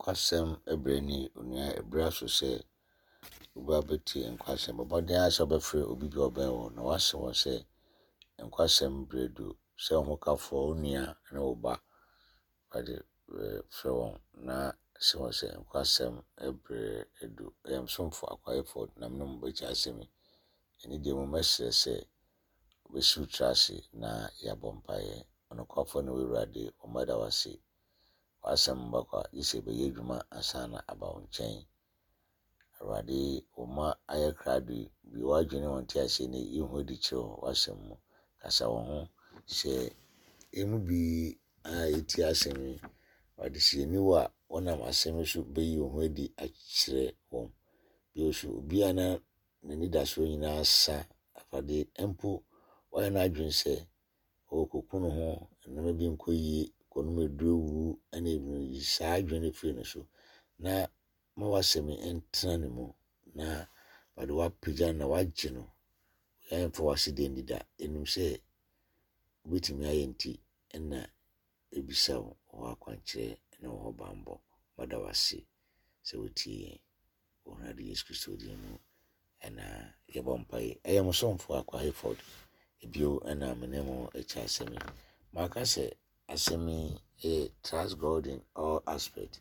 Nkwasɛm berɛ ni, onua ɛberɛ aso sɛ woba bɛtie nkwasɛm. Bɔ mmɔden ara sɛ wobɛfrɛ obi bi a ɔbɛn wo na woase wɔn sɛ nkwasɛm berɛ du sɛ wo hokafoɔ, wo nua ne wo ba. Awurade frɛ wɔn na se wɔn sɛ nkwasɛm berɛ adu. Ɛyɛ me somfo Akwaa na me ne mo bɛkyɛ asɛm yi. Ɛne deɛ mu mɛsrɛ sɛ wobɛsi wo tiri ase na yɛabɔ mpaeɛ. Ɔnokwafoɔ ne wo Awurade, wo mma da wo ase. W'asɛm mma kwa, gye sɛ ɛbɛyɛ adwuma ansa na aba wo nkyɛn. Awurade, wo mma ayɛ krado yi, bue w'adwene ne wɔn nteaseɛ na yi wo ho adi kyerɛ wɔn w'asɛm mu. Kasa wɔn ho. Sɛ yɛn mu bi a yɛtie asɛm yi, Awurade, sɛ yɛnni wo a, wonam asɛm yi so bɛyi wo ho adi akyerɛ wɔn. Bio nso, obiara na n'anidasoɔ nyinaa asa, Awurade, mpo wayɛ n'adwene sɛ ɔrekɔku ne ho, nneɛma bi nkɔ yie, kɔnom aduro wu ne ebinom. Yi saa adwene no firi ne so na ma w'asɛm yi ntena ne mu na ɔde w'apagya no na wagye no. Yɛmfa w'aseda nni da. Yɛnim sɛ wobɛtumi ayɛ nti na yɛbisa wo hɔ akwankyerɛ ne wo hɔ bammɔ. Mada wo ase sɛ wotie yɛn. Wɔ Awurade Yesu Kristo din mu na yɛbɔ mpaeɛ. Ɛyɛ mo somfo Akwa Hayford bio na me ne mo kyɛ asɛm yi. Maka sɛ asɛm yi yɛ Trust God in all aspect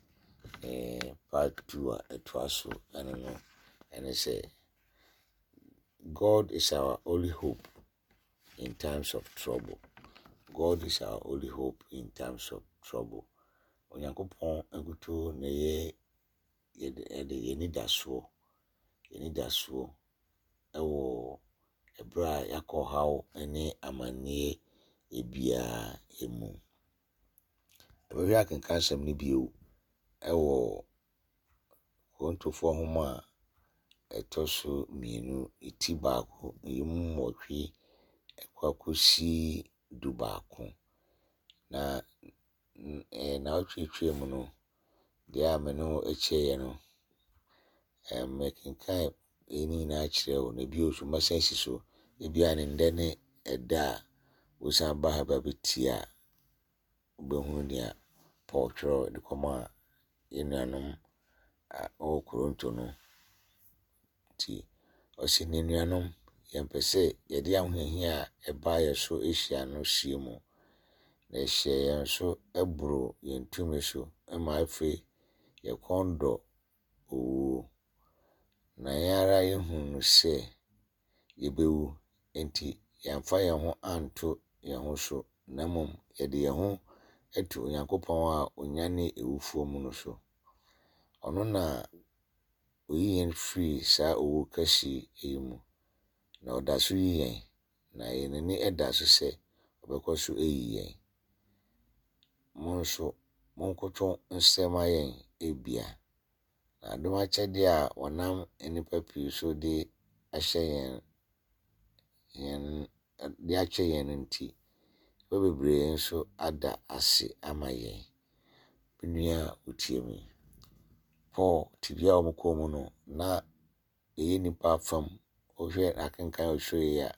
eh, part 2 a ɛtoa so ɛno no ɛne sɛ God is our only hope in times of trouble. God is our only hope in times of trouble. Onyankopɔn nkutoo na ɛyɛ yɛde yɛde yɛn anidasoɔ, yɛn anidasoɔ wɔ ɛberɛ a yɛakɔ ɔhaw ne amanneɛ biara mu. Yɛbɛhwɛ akenkan asɛm no bio wɔ Korintofoɔ nwoma a ɛtɔ so mmienu, ti baako, emu nwɔtwe kɔ akɔsi du baako. Na Nnawɔtwe a atwam no, deɛ a me ne wo kyɛeɛ no, mekenkan ne nyinaa kyerɛɛ wo, na bio nso mɛsan asi so. Ebia ne nnɛ ne ɛda a wosan ba ha ba bɛtie a, wobɛhunu nea Paul twerɛ de kɔmaa yɛn nuanom a wɔwɔ Korinto no. Nti ɔse, Anuanom, yɛmpɛ sɛ yɛde ahohiahia a ɛbaa yɛn so hyia no sie mu, na ɛhyɛɛ yɛn so boroo yɛn tumi so ma afei yɛn kɔn dɔ owuo. Na yɛn ara yɛhunu sɛ yɛbɛwu, enti yɛamfa yɛn ho anto yɛn ho so, na mmom yɛde yɛn ho to Onyankopɔn a ɔnyane awufoɔ mu no so. Ɔno na Oyi yɛn firi saa owu kɛse yi mu, na ɔda so yi yɛn, na yɛn ani da so sɛ ɔbɛkɔ so ayi yɛn. Mo nso, monkoto nsrɛ mma yɛn ebia, na adom akyɛdeɛ a wɔnam nnipa pii so de ahyɛ yɛn yɛn de akyɛ yɛn no nti, nnipa bebree nso ada ase ama yɛn. Me nua a wotie me, Paul tebea a wɔkɔɔ mu no, na ɛyɛ nnipa fam. Wohwɛ n'akenkan a ɔtwerɛeɛ yi a,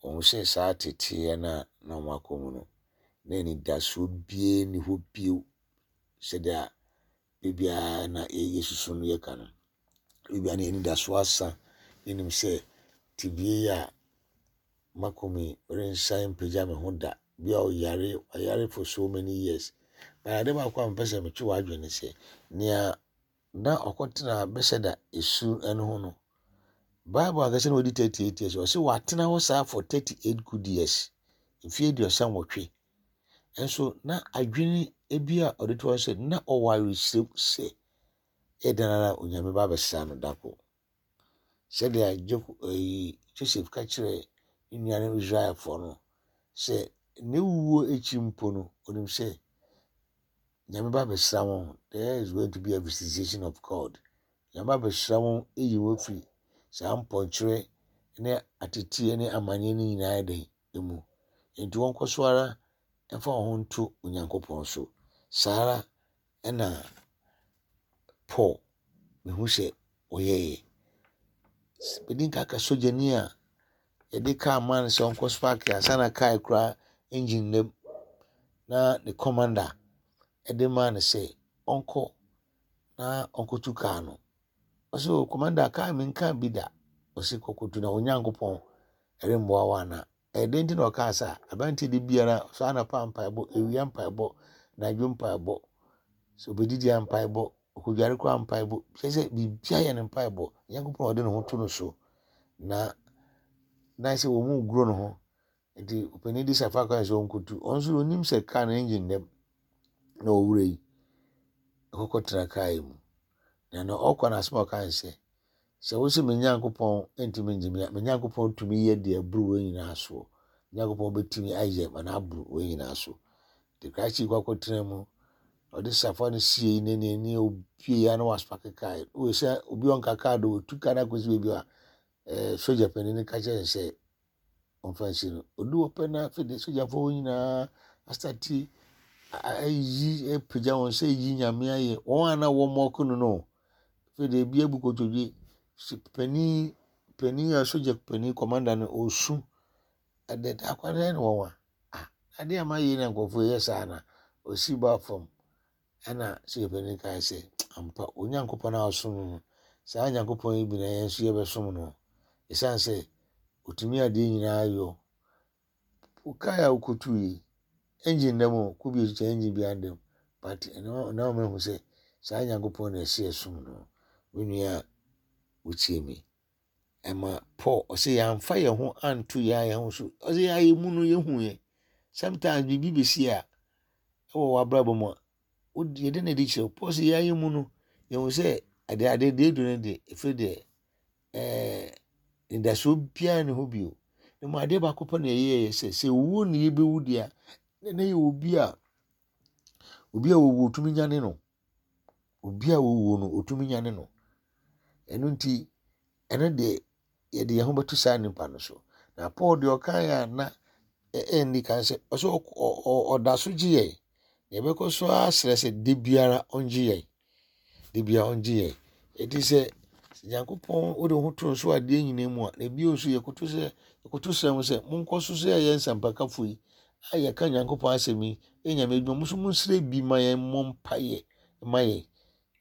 wɔhu sɛ saa teteeɛ no a na wɔakɔ mu no, na anidasoɔ biara nni hɔ bio sɛdeɛ biribiara na yɛsusu no yɛka no. Ebia na yɛn anidaso asa. Yɛnim sɛ tebea yi a makɔ mu yi, merensan mpagya me ho da. Bi a ɔyare, wayare for so many years. But ade baako a mepɛ sɛ metwe w'adwene ne sɛ, nea na ɔkɔtena Bethesda esu no ho no, Bible ankasa na wadi 38 years. Ɔse watena hɔ saa for 38 good years. Mfeɛ 38. Nso na adwene bi a ɔde to hɔ sɛ na ɔwɔ awerɛhyɛm sɛ Ɛyɛ dɛn ara a Onyame ba abɛsra no da koro. Sɛdeɛ ɛyi Joseph ka kyerɛɛ ne nuanom Israelfoɔ no sɛ ne wuo akyi mpo no, onim sɛ Nyame ba abɛsra wɔn. There is going to be a visitation of God. Nyame ba abɛsra wɔn ayi wɔn afiri saa mpɔnkyerɛ ne ateteɛ ne amanneɛ no nyinaa dɛn mu. Enti wɔnkɔ so ara mfa wɔn ho nto Onyankopɔn so. Saa ara Ɛna Paul mehu sɛ ɔyɛeɛ. Medi nka ka sogyani a yɛde kaa maa no sɛ ɔnkɔ spark ansa na kaa kura engine nam na ne commander de maa no sɛ ɔnkɔ. na ɔnkɔtu kaa no. Ɔse o commander kaa menkaa bi da. Ɔse kɔkɔtu na wo Nyankopɔn remmoa wo ana? Ɛyɛ dɛn nti na ɔkaa saa? Aberanteɛ de biara sɔ anɔpa mpaebɔ, awia mpaebɔ, anadwo mpaebɔ, sɛ obɛdidi a mpaebɔ, ɔkɔdware koraa mpaebɔ, kyerɛ sɛ biribiara yɛ no mpaebɔ. Nyankopɔn a ɔde ne ho to no so na na sɛ wɔn mu guro ne ho nti ɔpanin de safa kwan sɛ ɔnkɔtu ɔno nso ɔnim sɛ kaa no engine dɛm na ɔwura yi ɛkɔkɔtena kaa yi mu na na ɔkɔ no asɛm a ɔka sɛ Sɛ wose me Nyankopɔn ntumi ngye me a, me Nyankopɔn tumi yɛ deɛ ɛboro wei nyinaa soɔ. Me Nyankopɔn bɛtumi ayɛ ma no aboro wei nyinaa so. Nti krakye kɔ akɔtena mu, ɔde safoa no sie ne ne ne obie ya na wasopake kaa. Wei sɛ obi ɔnka kaa do, otu kaa no akɔsi baabi a eh, sogya panin no ka kyerɛ no sɛ ɔmfa nsi no. Odu hɔ pɛ na afei de sogyafoɔ hɔ nyinaa asate ayi apagya wɔn sɛ yi nyame ayɛ. Wɔn a na wɔmmɔɔko no no, afei de ebi abu kotodwe. Panin panin a sogya panin kɔmanda no ɔresu. Ɛdɛ akwadaa ne wɔn a ah adeɛ a mayɛ yi na nkurɔfoɔ yɛ saa na ɔsi ba fam. Ɛnna Sogyapanin no kae sɛ, Ampa, Onyankopɔn a ɔsom no no, saa Nyankopɔn yi bi na yɛn nso yɛbɛsom no, ɛsiane sɛ ɔtumi adeɛ nyinaa yɔ. Wo kaa a wokɔtuu yi, engine nda mu o, kɔ bi ɛtwitwa engine biara nda mu, but ɛno na wɔn ahu sɛ saa Nyankopɔn na ɛsɛ yɛsom no. Me nua a wotie me, ɛma Paul ɔsɛ yɛamfa yɛn ho anto yɛn yɛn ho so, ɔsɛ yɛn ayɛ mu no yɛhu yɛn. Sometimes biribi bɛsi a, wɔ w'abrabɔ mu a, wode yɛde na ɛdi kyerɛ wo. Paul sɛ yɛayɛ mu no, yɛhu sɛ ade ade deɛ edu no de, ɛfiri deɛ ɛɛ nidasoɔ biara ne hɔ bio. Na mu adeɛ baako pɛ na ɛyɛɛyɛ sɛ sɛ owuo na yɛbɛwu deɛ a, na na yɛ obi a obi a wɔwu otumi nyane no. Obi a wɔwuo no otumi nyane no. Ɛno nti ɛno deɛ yɛde yɛn ho bɛto saa nipa no so. Na Paul deɛ ɔkaeɛ a na ɛnni kan sɛ ɔsɛ ɔda so gye yɛn. Na yɛbɛkɔ so ara srɛ sɛ da biara ɔngye yɛn. Da biara ɔngye yɛn. Ɛti sɛ Nyankopɔn wode wo ho to nso adeɛ nyinaa mu a, na ebio nso yɛkoto sɛ yɛkoto srɛ mo sɛ monkɔ so sɛ yɛyɛ nsɛmpakafo yi a yɛka Nyankopɔn asɛm yi yɛ Nyame adwuma mo nso monsrɛ bi ma yɛn mmɔ mpaeɛ ma yɛn.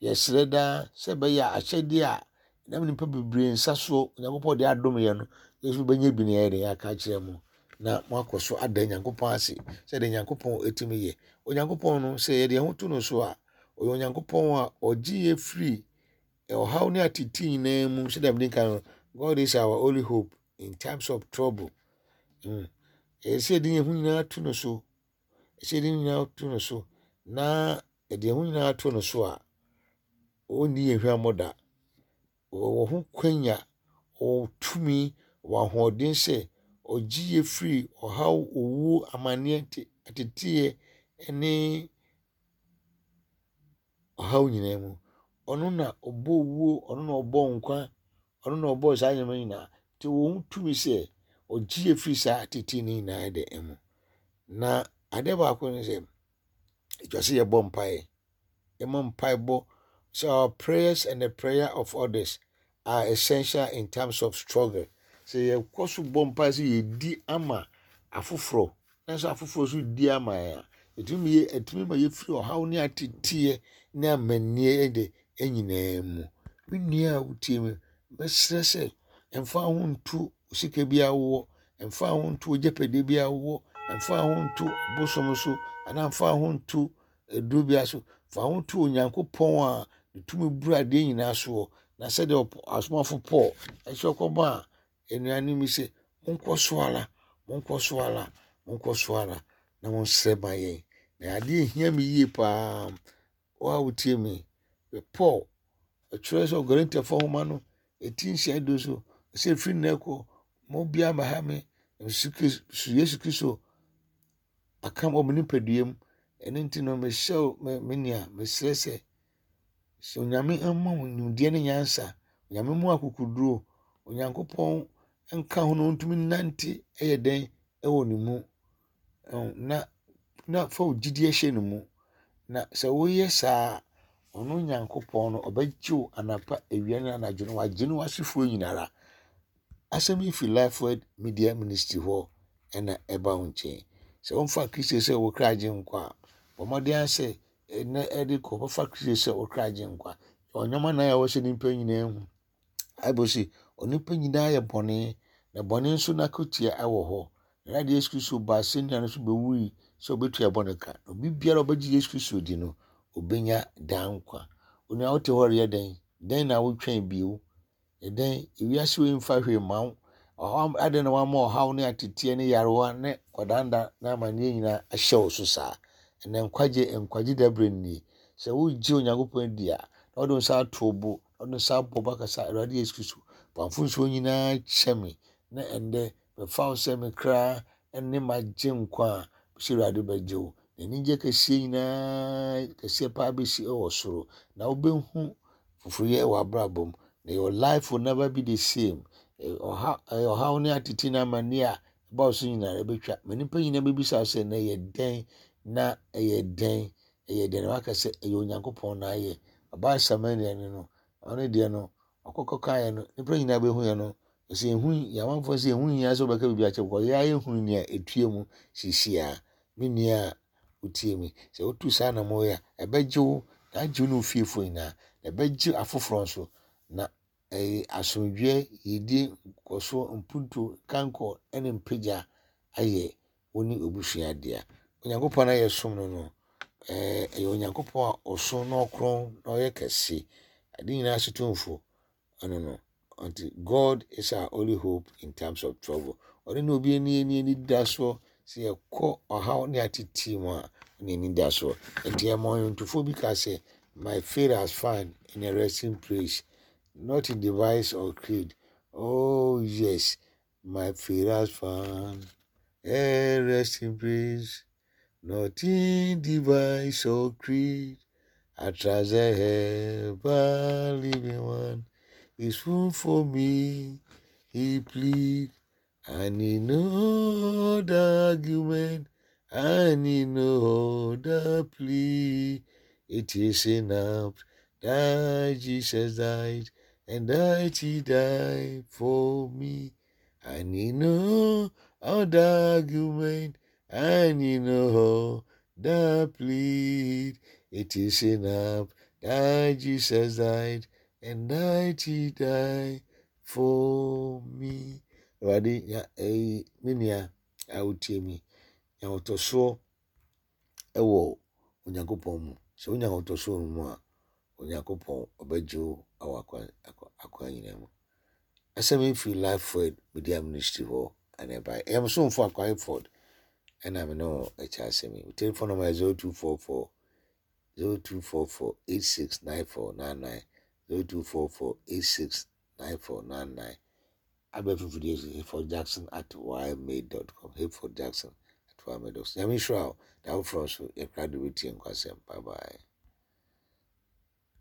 Yɛsrɛ daa sɛ ɛbɛyɛ a akyɛdeɛ a ɛnam nnipa bebree nsa soɔ Onyankopɔn de adom yɛn no, yɛn nso bɛnya bi na yɛayɛ dɛn aka akyerɛ mo na moakɔ so ada Nyankopɔn ase sɛdeɛ Nyankopɔn tumi yɛ. Onyankopɔn no, sɛ yɛde yɛn ho to no so a, ɔyɛ Onyankopɔn a ɔgye yɛ firi ɔhaw ne atete nyinaa mu sɛdeɛ mede nka no, God is our only hope in times of trouble. Ɛyɛ sɛ yɛde yɛn ho nyinaa to no so Ɛsɛ yɛde ne nyinaa to no so na yɛde yɛn ho nyinaa to no so a, ɔrenni yɛn hwammɔ da. Ɔwɔ ho kwanya, ɔwɔ tumi, ɔwɔ ahoɔden sɛ ɔgye yɛn firi ɔhaw, owuo, amaneɛ, ateteeɛ ne ɔhaw nyinaa mu. Ɔno na ɔbɔ owuo, ɔno na ɔbɔ nkwa, ɔno na ɔbɔɔ saa nneɛma nyinaa. Nti ɔwɔ ho tumi sɛ ɔgye yɛ firi saa atetee no nyinaa de mu. Na adeɛ baako ne sɛ, ɛtwa sɛ yɛbɔ mpaeɛ. Yɛmmɔ mpaebɔ sɛ our prayers and the prayer of others are essential in times of struggle. Sɛ yɛkɔ so bɔ mpae sɛ yɛdi ama afoforɔ, nanso afoforɔ nso di ama yɛn a, ɛtumi yɛ ɛtumi ma yɛfiri ɔhaw ne ateteɛ ne amanneɛ de nyinaa mu. Me nua a wotie me, mɛsrɛ sɛ mfa ho nto sika bi a wowɔ, mfa ho nto ogyapadeɛ bi a wowɔ, mfa ho nto bosom so, anaa mfa ho nto aduro biara so. Fa wo ho to Onyankopɔn a ne tumi boro adeɛ nyinaa soɔ, na sɛdeɛ ɔsomafo Paul ɛsɛ ɔkɔmaa anuanom yi sɛ, monkɔ so ara, monkɔ so ara, monkɔ so ara na monsrɛ ma yɛn. Na adeɛ hia me yie paa, wo a wotie me, Paul ɛtwerɛ sɛ Korintiafoɔ nwoma no ɛti nsia du so, sɛ ɛfiri nnɛ kɔ, mo biara mmɛha me, Yesu Kristo aka wɔ me nipadua mu. Ɛno nti no, mehyɛ wo me me nua, mesrɛ sɛ, sɛ Onyame mma wo nimdeɛ ne nyansa, Onyame mu akokoduro, Onyankopɔn nka ho na ɔntumi nnante ɛyɛ dɛn ɛwɔ ne mu. Na na fa wo gyidie hyɛ ne mu. Na sɛ woyɛ saa a, ɔno Nyankopɔn no ɔbɛgye wo anapa, awia ne anadwo no, wagye ne w'asefoɔ nyinara. Asɛm yi fi Lifeword Media Ministry hɔ na ɛba wo nkyɛn. Sɛ womfa Kristo sɛ wo kra agyenkwa a, bɔ mmɔden ara sɛ ɛnnɛ ɛde kɔ wobɛfa Kristo sɛ wo kra agyenkwa. Nneɛma nan a ɛwɔ sɛ nnipa nyinaa hu. Bible se, onipa nyinaa yɛ bɔne, na bɔne nso n'akatua wɔ hɔ. Na Awurade Yesu Kristo baa asɛnnua no so bɛwui sɛ ɔbɛtua bɔne ka. Na obi biara a ɔbɛgye Yesu Kristo di no, ɔbɛnya daa nkwa. Onua wote hɔ reyɛ dɛn? Dɛn na wotwɛn bio? Ɛdɛn, ewiase wei mfa hwee mma wo. Ɔhaw, adɛn na wama ɔhaw ne ateteɛ ne yarewa ne kwadanda ne amanneɛ nyinaa ahyɛ wo so saa? Ɛnɛ nkwagye, nkwagye dabrɛ nie. Sɛ wogye Onyankopɔn di a, na wode wo nsa ato wo bo, na wode wo nsa abɔ bo aka sɛ, Awurade Yesu Kristo, fa mfomsoɔ nyinaa kyɛ me, na ɛndɛ mefa wo sɛ me kra ne m'agyenkwa a, sɛ Awurade bɛgye wo. Na anigye kɛseɛ nyinaa, kɛseɛ paa bɛsi wɔ soro, na wobɛhu foforɔyɛ wɔ abrabɔ mu. Na your life will never be the same. Ɔha, ɔhaw ne atete ne amanneɛ a ɛba wo so nyinaa ɛbɛtwa. Ma nnipa nyinaa bɛbisa wo sɛ, na ɛyɛ dɛn? Na ɛyɛ dɛn? Ɛyɛ dɛn? Na waka sɛ, ɛyɛ Onyankopɔn na ayɛ. Ɔbaa Samaria no no, ɔno deɛ no, ɔkɔkɔ kaeɛ no, nnipa nyinaa bɛhuiɛ no, ɔsɛ ɛhu, amanfoɔ sɛ ɛho hia sɛ wobɛka biribi akyerɛ kɔ, yɛa yɛhunu nea ɛtue mu seesei a. Me nua a wotie me, sɛ wotu saa anammɔn yi a, ɛbɛgye wo, na agye wo ne wo fiefoɔ nyinaa, na ɛbɛgye afoforɔ nso, na ɛyɛ asomdwoeɛ, yiedie, nkɔsoɔ, mpuntuo, kankɔ ne mpagya ayɛ wo ne w'abusua dea. Onyankopɔn a yɛsom no no, ɛyɛ Onyankopɔn a ɔso na ɔkorɔn na ɔyɛ kɛse, ade nyinaa so tumfo. Ɔno no, nti God is our only hope in times of trouble. Ɔno ne obi ani ani ani da soɔ sɛ yɛkɔ ɔhaw ne ateteɛ mu a, ne ani da soɔ. Nti ɛma ɔnwontofoɔ bi ka sɛ, My faith has found in a resting place, not in device or creed. Oh yes, My faith has found a resting place, not in device or creed. I trust the ever living one is room for me. He plead. I need no other argument. I need no other plea. It is enough that Jesus died and that he died for me. I need no other argument. I need no other plea. It is enough that Jesus died and that he died for me. Awurade nya ɛyi me nua a wotie mi nya ahotɔsoɔ wɔ Onyankopɔn mu. Sɛ wonya ahotɔsoɔ wɔ ne mu a, Onyankopɔn ɔbɛgye wo wɔ akwan akwan nyinaa mu. Asɛm yi firi Life Word Media Ministry hɔ ɛna ɛbaeɛ. Ɛyɛ mo somfo Akwa Hayford ɛna me ne wo ɛkyɛ asɛm yi. Telephone number yɛ 0244 0244 869499 0244 86 9499 Abɛɛfo mfidie so Hayford Jackson at ymail dot com Hayford Jackson at ymail dot com Nyame nhyira wo da foforɔ nso yɛkra de bɛtie nkwasɛm bye bye.